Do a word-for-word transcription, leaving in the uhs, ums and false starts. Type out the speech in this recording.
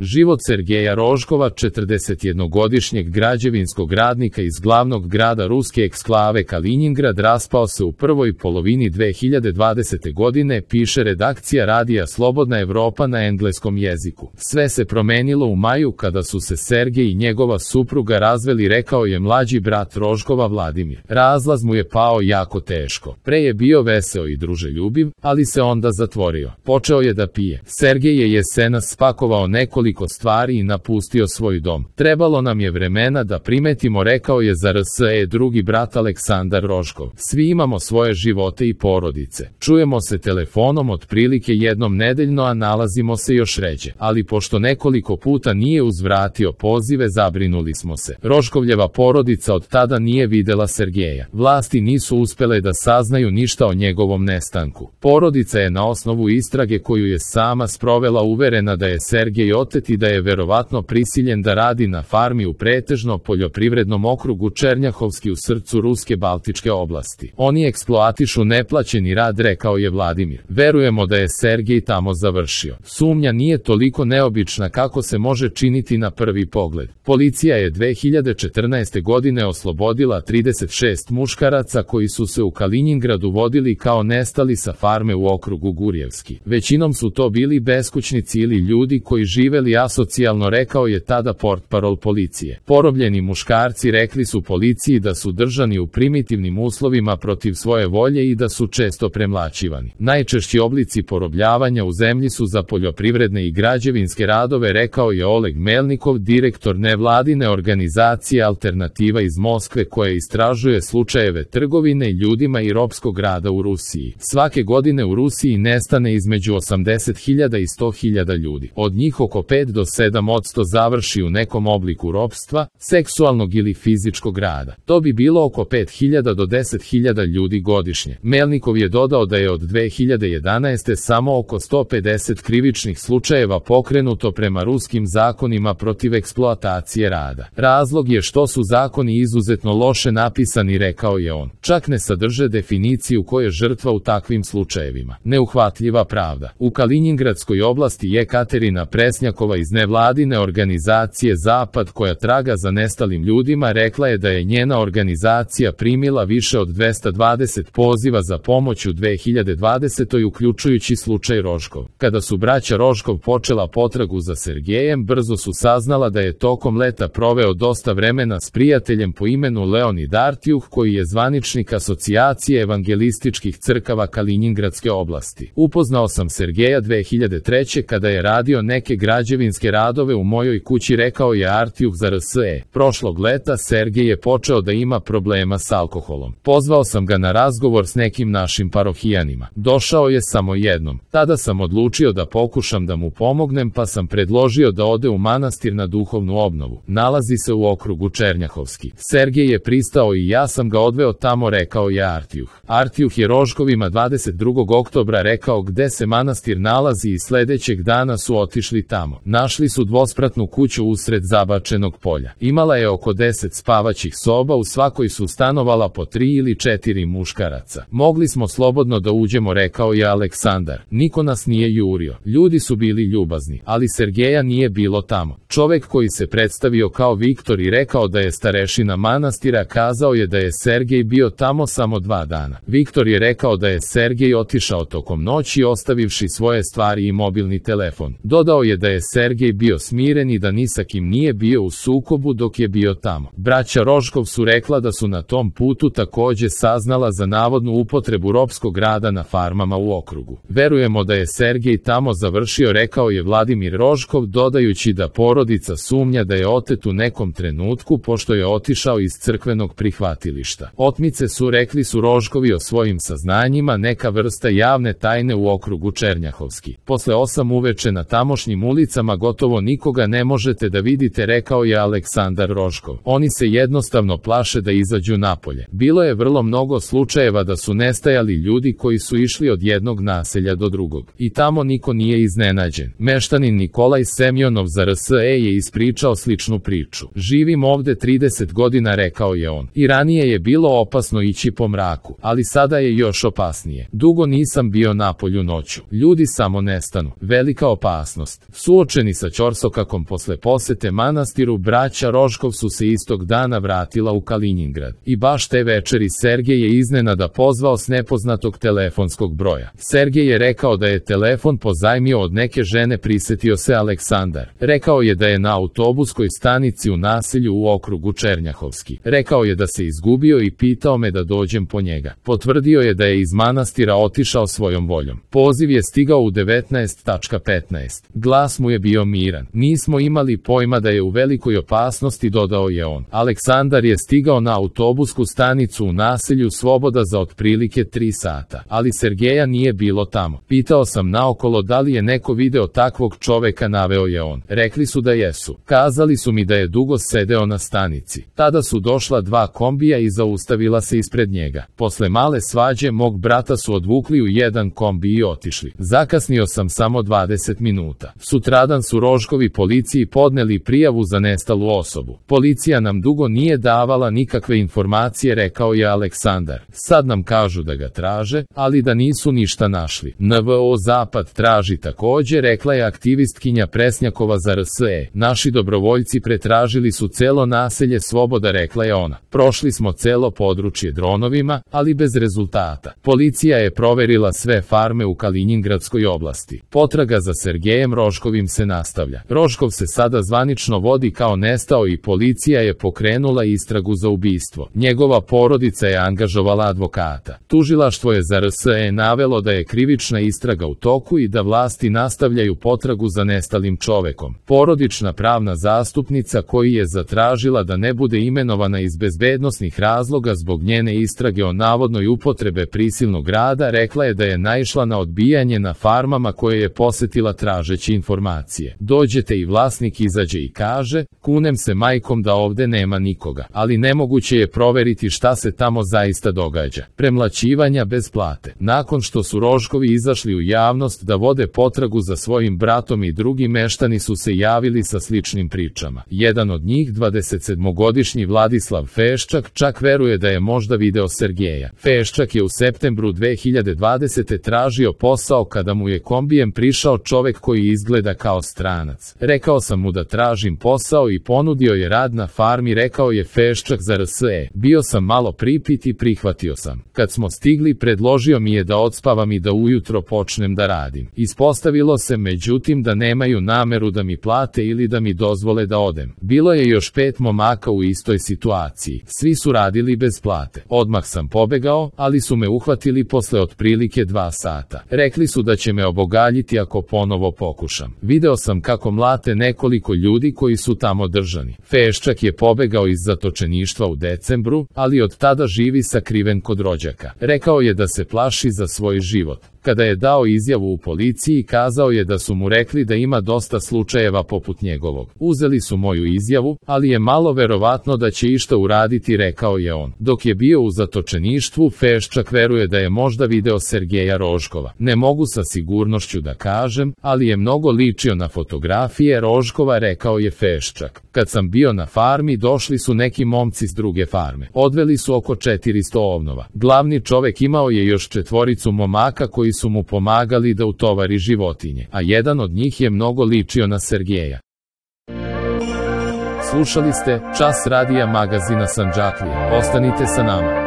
Život Sergeja Rožkova, četrdesetjednogodišnjeg građevinskog radnika iz glavnog grada ruske eksklave Kalinjingrad, raspao se u prvoj polovini dve hiljade dvadesete. godine, piše redakcija radija Slobodna Evropa na engleskom jeziku. Sve se promenilo u maju kada su se Sergej i njegova supruga razveli, rekao je mlađi brat Rožkova Vladimir. Razlaz mu je pao jako teško. Pre je bio veseo i druželjubiv, ali se onda zatvorio. Počeo je da pije. Sergej je jesenas spakovao nekoliko stvari i napustio svoj dom. Trebalo nam je vremena da primetimo, rekao je za R S E drugi brat Aleksandar Rožkov. Svi imamo svoje živote i porodice. Čujemo se telefonom otprilike jednom nedeljno, a nalazimo se još ređe. Ali pošto nekoliko puta nije uzvratio pozive, zabrinuli smo se. Rožkovljeva porodica od tada nije videla Sergeja. Vlasti nisu uspele da saznaju ništa o njegovom nestanku. Porodica je na osnovu istrage koju je sama sprovela uverena da je Sergej otet i da je verovatno prisiljen da radi na farmi u pretežno poljoprivrednom okrugu Černjahovski u srcu ruske Baltičke oblasti. Oni eksploatišu neplaćeni rad, rekao je Vladimir. Verujemo da je Sergej tamo završio. Sumnja nije toliko neobična kako se može činiti na prvi pogled. Policija je dve hiljade četrnaeste. godine oslobodila trideset šest muškaraca koji su se u Kalinjingradu vodili kao nestali sa farme u okrugu Gurjevski. Većinom su to bili beskućnici ili ljudi koji živeli asocijalno, rekao je tada portparol policije. Porobljeni muškarci rekli su policiji da su držani u primitivnim uslovima protiv svoje volje i da su često premlaćivani. Najčešći oblici porobljavanja u zemlji su za poljoprivredne i građevinske radove, rekao je Oleg Melnikov, direktor nevladine organizacije Alternativa iz Moskve koja istražuje slučajeve trgovine ljudima i ropskog rada u Rusiji. Svake godine u Rusiji nestane između osamdeset hiljada i sto hiljada ljudi. Od njih oko pet do sedam posto završi u nekom obliku ropstva, seksualnog ili fizičkog rada. To bi bilo oko pet hiljada do deset hiljada ljudi godišnje. Melnikov je dodao da je od dve hiljade jedanaeste. samo oko sto pedeset krivičnih slučajeva pokrenuto prema ruskim zakonima protiv eksploatacije rada. Razlog je što su zakoni izuzetno loše napisani, rekao je on. Čak ne sadrže definiciju ko je žrtva u takvim slučajevima. Neuhvatljiva pravda. U Kalinjingradskoj oblasti je Katerina Presnjakova iz nevladine organizacije Zapad koja traga za nestalim ljudima rekla je da je njena organizacija primila više od dvesta dvadeset poziva za pomoć u dve hiljade dvadesetoj. uključujući slučaj Rožkov. Kada su braća Rožkov počela potragu za Sergejem, brzo su saznala da je tokom leta proveo dosta vremena s prijateljem po imenu Leonid Artjuh koji je zvaničnik Asocijacije evangelističkih crkava Kalinjingradske oblasti. Upoznao sam Sergeja dve hiljade treće. kada je radio neke građevinske radove u mojoj kući, rekao je Artjuh za R S E. Prošlog leta Sergej je počeo da ima problema s alkoholom. Pozvao sam ga na razgovor s nekim našim parohijanima. Došao je samo jednom. Tada sam odlučio da pokušam da mu pomognem, pa sam predložio da ode u manastir na duhovnu obnovu. Nalazi se u okrugu Černjahovski. Sergej je pristao i ja sam ga odveo tamo, rekao je Artjuh. Artjuh je Rožkovima dvadeset drugog oktobra rekao gde se manastir nalazi i sledećeg dana su otišli tamo. Našli su dvospratnu kuću usred zabačenog polja. Imala je oko deset spavaćih soba, u svakoj su stanovala po tri ili četiri muškaraca. Mogli smo slobodno da uđemo, rekao je Aleksandar. Niko nas nije jurio. Ljudi su bili ljubazni, ali Sergeja nije bilo tamo. Čovek koji se predstavio kao Viktor i rekao da je starešina manastira kazao je da je Sergej bio tamo samo dva dana. Viktor je rekao da je Sergej otišao tokom noći ostavivši svoje stvari i mobilni telefon. Dodao je da je Sergej bio smiren i da ni sa kim nije bio u sukobu dok je bio tamo. Braća Rožkov su rekla da su na tom putu takođe saznala za navodnu upotrebu ropskog rada na farmama u okrugu. Verujemo da je Sergej tamo završio, rekao je Vladimir Rožkov, dodajući da porodica sumnja da je otet u nekom trenutku pošto je otišao iz crkvenog prihvatilišta. Otmice su, rekli su Rožkovi o svojim saznanjima, neka vrsta javne tajne u okrugu Černjahovski. Posle osam uveče na tamošnjim ulicama gotovo nikoga ne možete da vidite, rekao je Aleksandar Rožkov. Oni se jednostavno plaše da izađu napolje. Bilo je vrlo mnogo slučajeva da su nestajali ljudi koji su išli od jednog naselja do drugog. I tamo niko nije iznenađen. Meštanin Nikolaj Semjonov za R S E je ispričao sličnu priču. Živim ovde trideset godina, rekao je on. I ranije je bilo opasno ići po mraku, ali sada je još opasnije. Dugo nisam bio napolju noću. Ljudi samo nestanu. Velika opasnost. Suoč Suočeni sa ćorsokakom posle posete manastiru, braća Rožkov su se istog dana vratila u Kalinjingrad. I baš te večeri Sergej je iznenada pozvao s nepoznatog telefonskog broja. Sergej je rekao da je telefon pozajmio od neke žene, prisetio se Aleksandar. Rekao je da je na autobuskoj stanici u naselju u okrugu Černjahovski. Rekao je da se izgubio i pitao me da dođem po njega. Potvrdio je da je iz manastira otišao svojom voljom. Poziv je stigao u devetnaest petnaest. Glas mu je bio miran. Nismo imali pojma da je u velikoj opasnosti, dodao je on. Aleksandar je stigao na autobusku stanicu u naselju Svoboda za otprilike tri sata, ali Sergeja nije bilo tamo. Pitao sam naokolo da li je neko video takvog čoveka, naveo je on. Rekli su da jesu. Kazali su mi da je dugo sedeo na stanici. Tada su došla dva kombija i zaustavila se ispred njega. Posle male svađe mog brata su odvukli u jedan kombi i otišli. Zakasnio sam samo dvadeset minuta. Sutradan su Rožkovi policiji podneli prijavu za nestalu osobu. Policija nam dugo nije davala nikakve informacije, rekao je Aleksandar. Sad nam kažu da ga traže, ali da nisu ništa našli. N V O Zapad traži takođe, rekla je aktivistkinja Presnjakova za R S E. Naši dobrovoljci pretražili su celo naselje Svoboda, rekla je ona. Prošli smo celo područje dronovima, ali bez rezultata. Policija je proverila sve farme u Kalinjingradskoj oblasti. Potraga za Sergejem Rožkovim se nastavlja. Rožkov se sada zvanično vodi kao nestao i policija je pokrenula istragu za ubistvo. Njegova porodica je angažovala advokata. Tužilaštvo je za R S E navelo da je krivična istraga u toku i da vlasti nastavljaju potragu za nestalim čovekom. Porodična pravna zastupnica koji je zatražila da ne bude imenovana iz bezbednosnih razloga zbog njene istrage o navodnoj upotrebe prisilnog rada, rekla je da je naišla na odbijanje na farmama koje je posetila tražeći informacije. Dođete i vlasnik izađe i kaže, kunem se majkom da ovde nema nikoga, ali nemoguće je proveriti šta se tamo zaista događa. Premlaćivanja bez plate. Nakon što su Rožkovi izašli u javnost da vode potragu za svojim bratom, i drugi meštani su se javili sa sličnim pričama. Jedan od njih, dvadesetsedmogodišnji Vladislav Feščak, čak veruje da je možda video Sergeja. Feščak je u septembru dve hiljade dvadesete tražio posao kada mu je kombijem prišao čovek koji izgleda kao stranac. Rekao sam mu da tražim posao i ponudio je rad na farmi, rekao je Feščak za R S E. Bio sam malo pripit i prihvatio sam. Kad smo stigli, predložio mi je da odspavam i da ujutro počnem da radim. Ispostavilo se međutim da nemaju nameru da mi plate ili da mi dozvole da odem. Bilo je još pet momaka u istoj situaciji. Svi su radili bez plate. Odmah sam pobegao, ali su me uhvatili posle otprilike dva sata. Rekli su da će me obogaljiti ako ponovo pokušam. Video sam kako mlate nekoliko ljudi koji su tamo držani. Feščak je pobegao iz zatočeništva u decembru, ali od tada živi sakriven kod rođaka. Rekao je da se plaši za svoj život. Kada je dao izjavu u policiji, kazao je da su mu rekli da ima dosta slučajeva poput njegovog. Uzeli su moju izjavu, ali je malo verovatno da će išta uraditi, rekao je on. Dok je bio u zatočeništvu, Feščak veruje da je možda video Sergeja Rožkova. Ne mogu sa sigurnošću da kažem, ali je mnogo ličio na fotografije Rožkova, rekao je Feščak. Kad sam bio na farmi, došli su neki momci s druge farme. Odveli su oko četiristo ovnova. Glavni čovek imao je još četvoricu momaka koji su mu pomagali da utovari životinje, a jedan od njih je mnogo ličio na Sergeja. Slušali ste Čas radija magazina Sandžaklija. Ostanite sa nama.